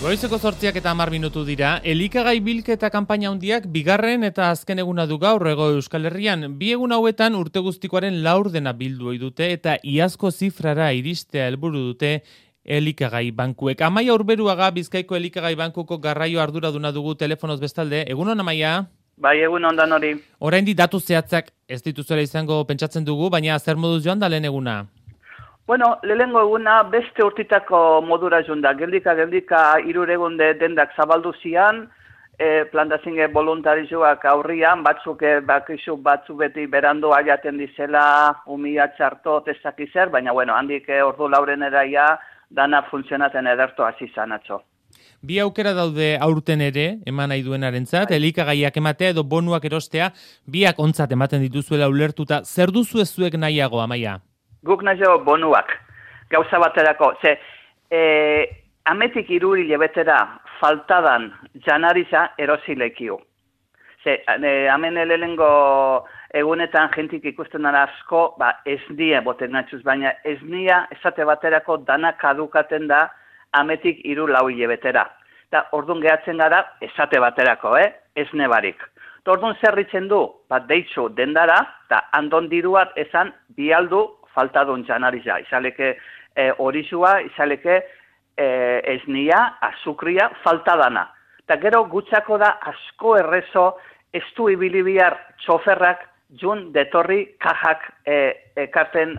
Goizeko 8:10 dira, elikagai bilketa kanpaina handiak bigarren eta azken eguna du gaur Hego Euskal Herrian. Bi egun hauetan urte guztikoaren laurdena bildu ohi dute eta iazko zifrara iristea helburu dute elikagai bankuek. Amaia Urberuaga, Bizkaiko elikagai bankuko garraio arduraduna dugu telefonoz bestalde. Egunon, Amaia? Bai, egun ondan hori. Oraindik datu zehatzak ez dituzuela izango pentsatzen dugu, baina zer moduz joan da lehen eguna? Bueno, lehengo eguna beste urtitako modura junda. Geldika iruregunde dendak zabaldu zian, plantazinge voluntarioak aurrian, batzuk batzu beti berandu aiaten dizela, umia txartot ezakizer, baina bueno, handik ordu laurenera ja dana funtzionaten ederto hasi izan atzo. Bi aukera daude aurten ere, eman nahi duenarentzat, elikagaiak ematea edo bonuak erostea, biak ontzat ematen dituzuela ulertuta. Zer duzu ez zuek nahiago, Amaia? Guk nahiago bonuak, gauza baterako. Ametik 3 hilabetera faltadan janariza erosilekio. Hemen lehengo egunetan jentik ikusten dara asko, ez nia boten natxuz, baina ez nia esate baterako dana kadukaten da ametik 3-4 hilabetera. Eta orduan gehatzen gara esate baterako, ez nebarik. Orduan zerritzen du, deitzu dendara, eta andon diruat esan bialdu faltadun janariza. Izaleke horizua, izaleke esnia, azukria, faltadana. Eta gero gutxako da asko errezo ez du ibili bihar txoferrak jun detorri kajak ekarten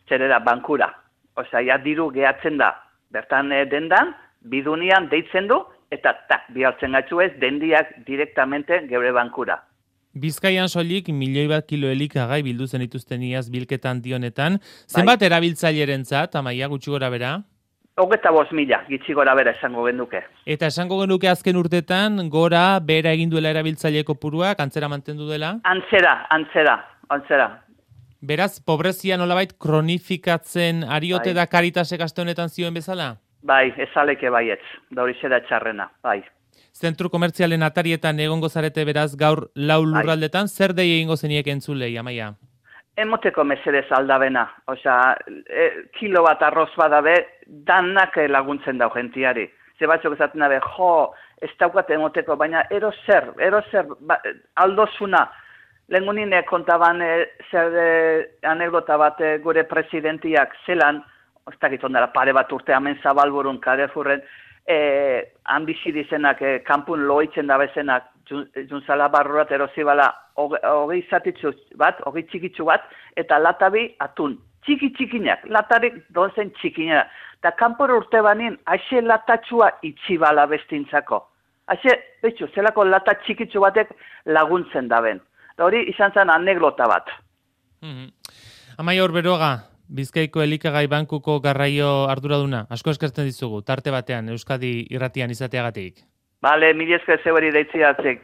zerera bankura. Osea, ja diru gehatzen da. Bertan dendan, bidunian deitzen du, eta bihartzen gatzu ez, dendiak direktamente geure bankura. Bizkaian soilik 1.000.000 kilo elikagai bildu zen dituzten iaz bilketan dionetan. Zenbat erabiltzailerentzat, Amaia, gutxi gora bera? 25.000 gitxi gora bera esango genuke. Eta esango genuke azken urtetan gora bera egin duela erabiltzaile kopuruak, antzera mantendu dela? Antzera. Beraz, pobrezia nolabait kronifikatzen ariote da Karitasek aste honetan zioen bezala? Bai, ezaleke baietz, da hori zera txarrena, bai. Zentru komertzialen atarietan egongo zarete beraz gaur 4 lurraldetan, zer dei egingo zeniek entzulei, Amaia? Emoteko mesedez aldabena, osea, kilo bat arroz badabe, danak laguntzen dau gentiari. Ze batzuk esaten dabe, ez daukat emoteko, baina ero zer, aldozuna. Lehengunine kontaban anekdota bat gure presidentiak zelan, ez dakit ondara pare bat urte hemen Zabalburun, Carrefourren, han bizi dizenak, kanpun loitzen da bezenak, juntzala barrurat erozibala, hogei zatitzu bat, hogei txikitzu bat, eta latabi atun. Txikinak, latarik donzen txikina. Eta kanpor urte banin, haixe latatxua itxibala bestintzako. Haixe, zelako lata txikitzu batek laguntzen daben. Hori izan zen aneglota bat. Amaia Urberuaga, Bizkaiko elikagai bankuko garraio arduraduna, asko eskertzen dizugu, tarte batean, Euskadi irratian izateagatik. Bale, mila esker zeueri deitziatzek.